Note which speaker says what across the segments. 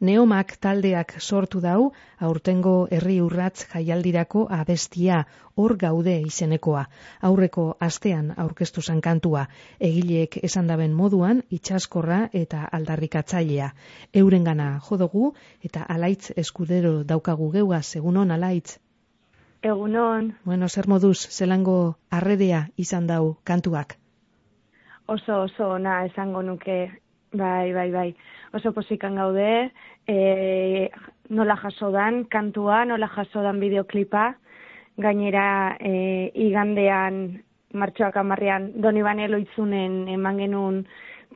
Speaker 1: Neomak taldeak sortu dau, aurtengo herri urratz jaialdirako abestia, hor gaude izenekoa. Aurreko astean aurkeztu zan kantua, egileek esan daben moduan, itsaskorra eta aldarrikatzailea. Eurengana jodugu eta Alaitz Eskudero daukagu geugaz, egunon Alaitz?
Speaker 2: Egunon.
Speaker 1: Bueno, zer moduz, zelango arredea izan dau kantuak?
Speaker 2: Oso ona esango nuke, bai. Oso posikan gaude, nola jaso dan kantua, nola jaso dan bideoklipa, gainera igandean, martxoak 10ean, Donibane Loitzunen eman genuen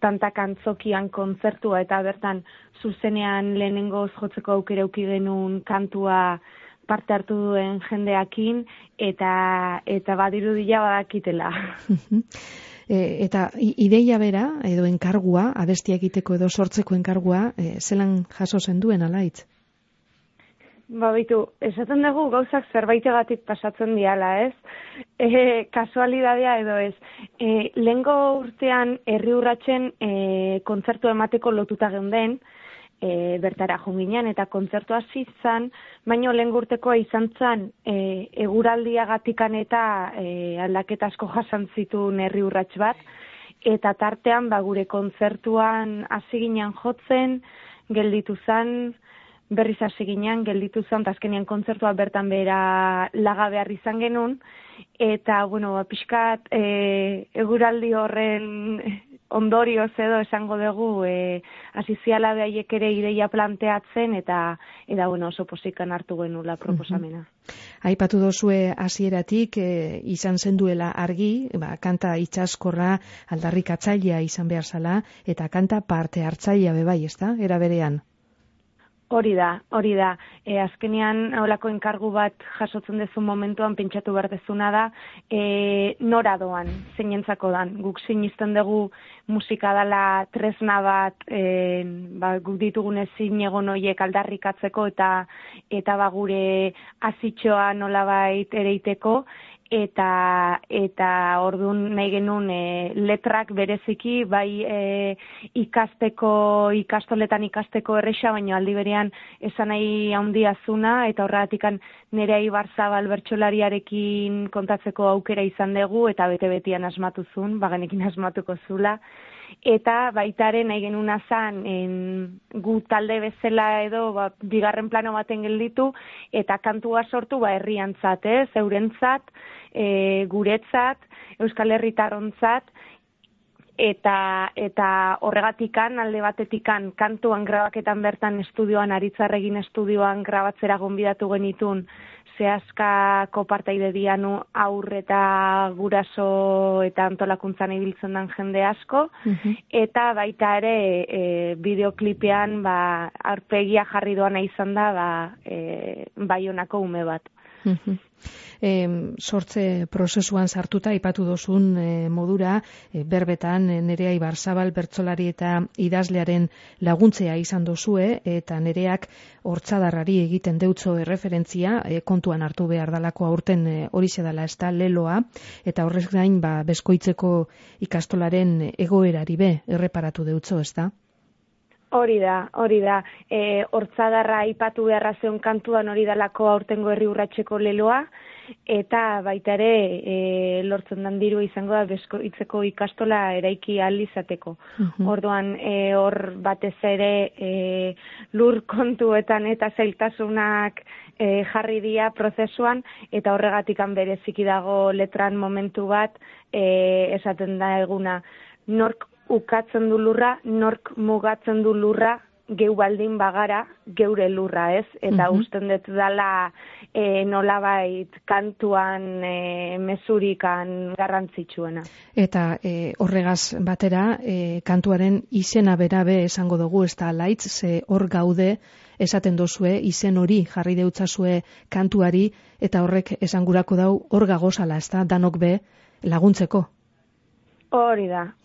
Speaker 2: tantakan zokian kontzertua eta bertan zuzenean lehenengoz jotzeko aukera eduki genuen kantua parte hartu duen jendeakin eta badirudia badakitela.
Speaker 1: Eta ideia bera, edo enkargua, abestia egiteko edo sortzeko enkargua, zelan jaso zen duen Alaitz?
Speaker 2: Bitu, esaten dugu gauzak zerbaitegatik pasatzen diala, ez? Kasualidadea edo ez. Lehengo urtean herri urratsen kontzertu emateko lotuta geunden, bertara junginan eta kontzertua hasi zan, baino lehen urtekoa izan zan eguraldiagatikan eta aldaketa asko jasan zituen herri urrats bat, eta tartean gure kontzertuan hasi ginen jotzen, gelditu zan, berriz hasi ginen, gelditu zan, eta azkenean kontzertua bertan bera laga behar izan genuen, eta, pixkat eguraldi horren ondorioz edo esango dugu asiziala behaiek ere ideia planteatzen eta oso posikan hartu genuela proposamena.
Speaker 1: Aipatu dozue hasieratik izan zenduela argi, kanta itsaskorra aldarrikatzailea izan behar zala eta kanta parte hartzailea bebai, ezta? Era berean.
Speaker 2: Hori da. Azkenean holako enkargu bat jasotzen dezu momentuan pentsatu behar dezuna da nora doan, zeinentzako dan. Guk sinisten dugu musika dela tresna bat guk ditugun ezin egon horiek aldarrikatzeko eta gure azitxoa nolabait ereiteko, eta orduan nahi genuen letrak bereziki bai ikastoletan ikasteko erresa, baina aldi berean esan nahi handia zuna, eta horregatikan Nerea Ibarzabal bertsolariarekin kontatzeko aukera izan dugu, eta bete-betian asmatu zuen, bagenekin asmatuko zula. Eta baitaren nahi genuna zan gu talde bezala edo bigarren plano baten gelditu eta kantua sortu herriantzat, eurentzat, guretzat, Euskal Herritarrontzat, eta horregatikan alde batetikan kantuan grabaketan bertan estudioan, Aritzarregin estudioan grabatzera gonbidatu genitun zehazkako partaide dianu aur eta guraso eta antolakuntzan ibiltzen den jende asko, eta baita ere bideoklipean aurpegia jarri doana izan da Baionako ume bat.
Speaker 1: Sortze prozesuan sartuta aipatu dozun modura, berbetan Nerea Ibarzabal bertsolari eta idazlearen laguntzea izan dozue, eta Nereak hortzadarrari egiten deutzo erreferentzia, kontuan hartu behar dalako aurten horixe dela ez da leloa, eta horrez gain Beskoitzeko ikastolaren egoerari erreparatu deutzo, ez da?
Speaker 2: Hori da. Hortzadarra aipatu beharra zeon kantuan hori dalako aurtengo herri urratseko leloa, eta baita ere lortzen dan diru izango da Beskoitzeko ikastola eraiki ahal izateko. Orduan hor batez ere lur kontuetan eta zailtasunak jarri dira prozesuan, eta horregatikan bereziki dago letran momentu bat esaten da eguna, nork ukatzen du lurra, nork mugatzen du lurra, geu baldin bagara, geure lurra, ez? Eta usten dut dela nolabait kantuan mesurikan garrantzitsuena.
Speaker 1: Eta horregaz batera, kantuaren izena berabe esango dugu, ez da Alaitz, ze hor gaude esaten dozue, izen hori jarri deutzazue kantuari, eta horrek esangurako dau hor gagozala, ez da, danok be laguntzeko.
Speaker 2: Hori da.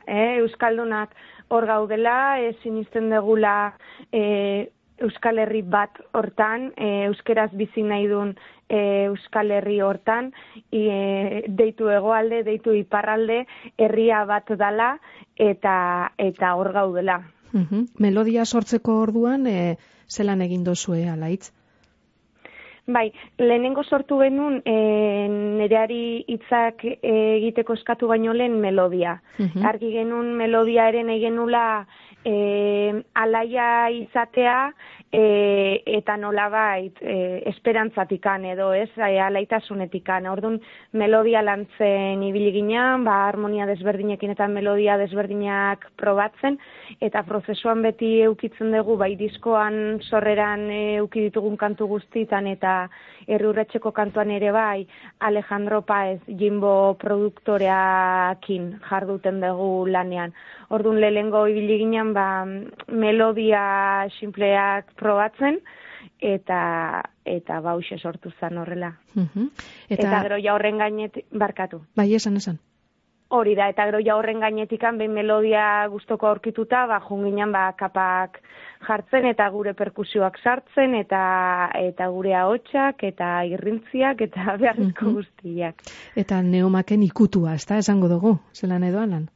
Speaker 2: Euskaldunak hor gaudela, sinisten degula Euskal Herri bat hortan, euskeraz bizi nahi duen Euskal Herri hortan, deitu hegoalde, deitu iparralde, herria bat dala, eta hor gaudela.
Speaker 1: Melodia sortzeko orduan, zelan egin dozue, Alaitz?
Speaker 2: Bai, lehenengo sortu genuen nereari hitzak egiteko eskatu baino lehen melodia. Argi genuen melodiaren egenula alaia izatea eta nolabait esperantzatikan edo ez, alaitasunetikan. Orduan melodia lantzen ibili ginean, harmonia desberdinekin eta melodia desberdinak probatzen, eta prozesuan beti eukitzen dugu, bai diskoan sorreran euki ditugun kantu guztitan eta Erriurratxeko kantuan ere bai Alejandro Paez Jimbo produktoreakin jarduten dugu lanean. Orduan lehengo ibili ginen melodia sinpleak probatzen eta bauxe sortu zen horrela. Eta gero ja horren gainetik barkatu.
Speaker 1: Bai, esan.
Speaker 2: Hori da, eta gero ja horren gainetikan behin melodia gustoko aurkituta, junginen kapak jartzen eta gure perkusioak sartzen eta gure ahotsak eta irrintziak eta beharrezko guztiak.
Speaker 1: Eta Neomaken ikutua, ez da, esango dugu, zelan edo alan?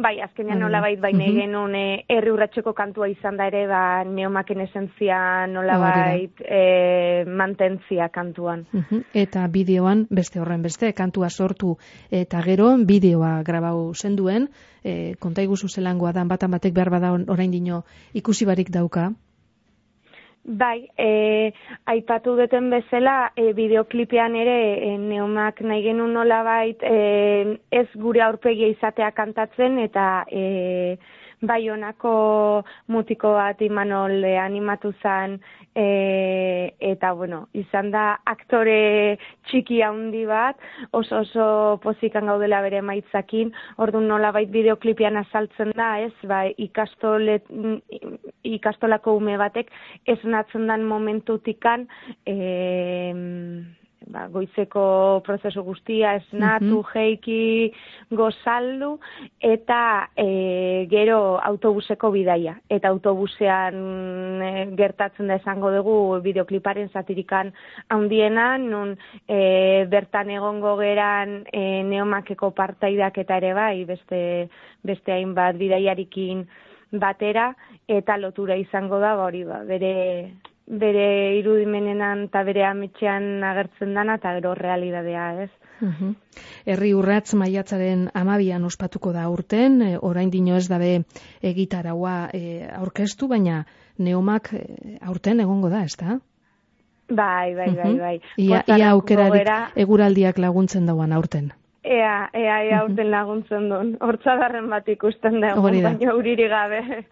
Speaker 2: Bai, azkenean nolabait baina genuen Erriurratxeko kantua izan da ere, Neomaken esentzia nolabait mantentzia kantuan.
Speaker 1: Eta bideoan, beste horren beste, kantua sortu eta gero bideoa grabau zenduen, konta iguzu zelangoa dan batan batek behar bada orain dino ikusi barik dauka?
Speaker 2: Bai, aipatu duten bezala, bideoklipean ere Neomak nahi genuen nolabait ez gure aurpegia izatea kantatzen eta bai honako mutiko bat Imanol animatu zen eta izan da aktore txiki handi bat, oso pozikan gaudela bere maitzakin, orduan nolabait bideoklipean azaltzen da, ez, ikastolako ume batek esnatzen dan momentutikan goizeko prozesu guztia esnatu, jeiki, gozaldu eta gero autobuseko bidaia. Eta autobusean gertatzen da esango dugu bideokliparen zatirikan handiena, nun bertan egongo geran Neomakeko partaidak eta ere bai, beste hainbat bidaiarikin batera, eta lotura izango da, bere irudimenenan eta bere ametxean agertzen dana eta gero realidadea, ez?
Speaker 1: Erriurratz maiatzaren 12an ospatuko da aurten, orain dino ez dabe egitaraua aurkeztu, baina Neomak aurten egongo da, ez da?
Speaker 2: Bai.
Speaker 1: Ia aukerarik eguraldiak laguntzen dauan aurten.
Speaker 2: Ea aurten laguntzen duen. Hortzadarren bat ikusten dugu, baina uriri gabe.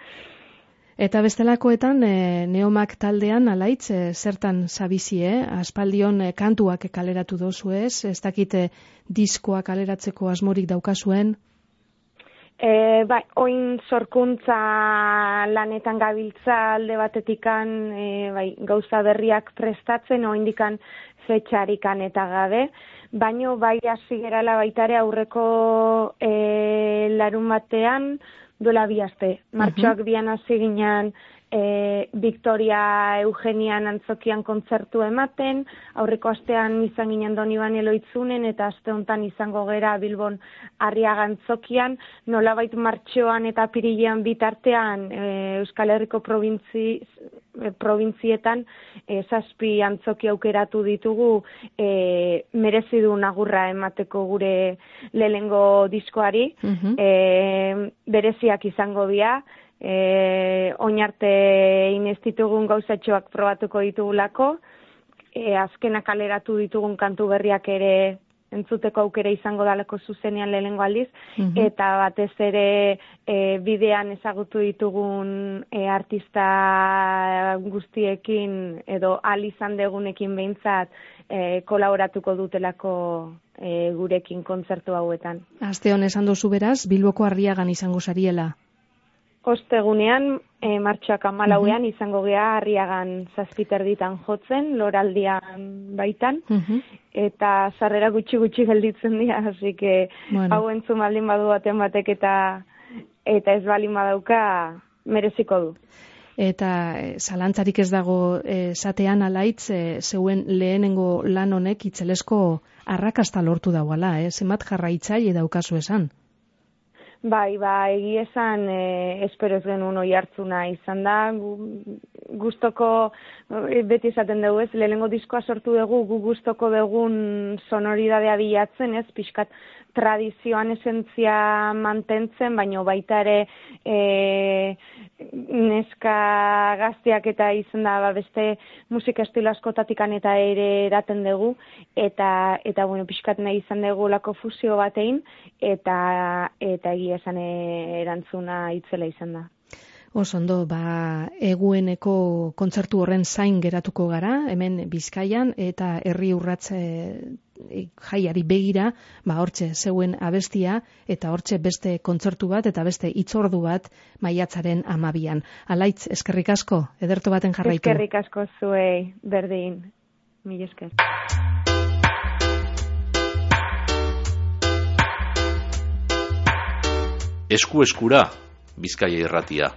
Speaker 1: Eta bestelakoetan, Neomak taldean, Alaitz, zertan zabizie, aspaldion kantuak kaleratu dozu ez dakite diskoa kaleratzeko asmorik daukazuen?
Speaker 2: Bai, oin sorkuntza lanetan gabiltza alde batetikan, gauza berriak prestatzen, oindikan fetxarikan eta gabe, baino bai hasi gerala baitare aurreko larun batean, duela 2 aste. Martxoak 2an hasi ginen Victoria Eugenian antzokian kontzertu ematen, aurreko astean izan ginen Doniban Eloitzunen eta aste hontan izango gera Bilbon Arriaga antzokian, nolabait martxoan eta apirilean bitartean Euskal Herriko probintzietan 7 antzoki aukeratu ditugu merezi du agurra emateko gure lehenengo diskoari, bereziak izango dira, oinarte inestitugun gauzatxoak probatuko ditugulako, azkenak kaleratu ditugun kantu berriak ere entzuteko aukera izango dalako zuzenean lehenengo aldiz, eta batez ere bidean ezagutu ditugun artista guztiekin edo izan degunekin behintzat kolaboratuko dutelako gurekin kontzertu hauetan.
Speaker 1: Aste hon esan dozu beraz, Bilboko Arriagan izango zariela?
Speaker 2: Ostegunean, martxoak 14ean izango gea Arriagan 7:30 jotzen, loraldian baitan, eta sarrera gutxi gelditzen dira, así que hau entzun baldin badu baten batek eta ez baldin badauka mereziko du.
Speaker 1: Eta zalantzarik ez dago esatean, Alaitz, zeuen lehenengo lan honek itzelesko arrakasta lortu dauala, zenbat jarraitzaile daukazu esan?
Speaker 2: Bai, egia esan espero ez genuen oihartzuna izan da, gustoko, beti esaten dugu ez, lehenengo diskoa sortu dugu, gu gustoko dugun sonoridadea bilatzen ez, pixkat tradizioan esentzia mantentzen, baina baita ere neska gazteak eta izan da beste musika estilo askotatikan eta ere eraten dugu, eta bueno, pixkat nahi izan dugu lako fusio batein, eta egia esan erantzuna itzela izan da.
Speaker 1: Osondo, egueneko kontzertu horren zain geratuko gara, hemen Bizkaian, eta herri urratz jaiari begira, hortxe zeuen abestia, eta hortxe beste kontzertu bat, eta beste hitzordu bat maiatzaren 12an. Alaitz, eskerrik asko, ederto baten jarraitu.
Speaker 2: Eskerrik asko zuei, berdin, mila esker.
Speaker 3: Esku eskura, Bizkaia Irratia.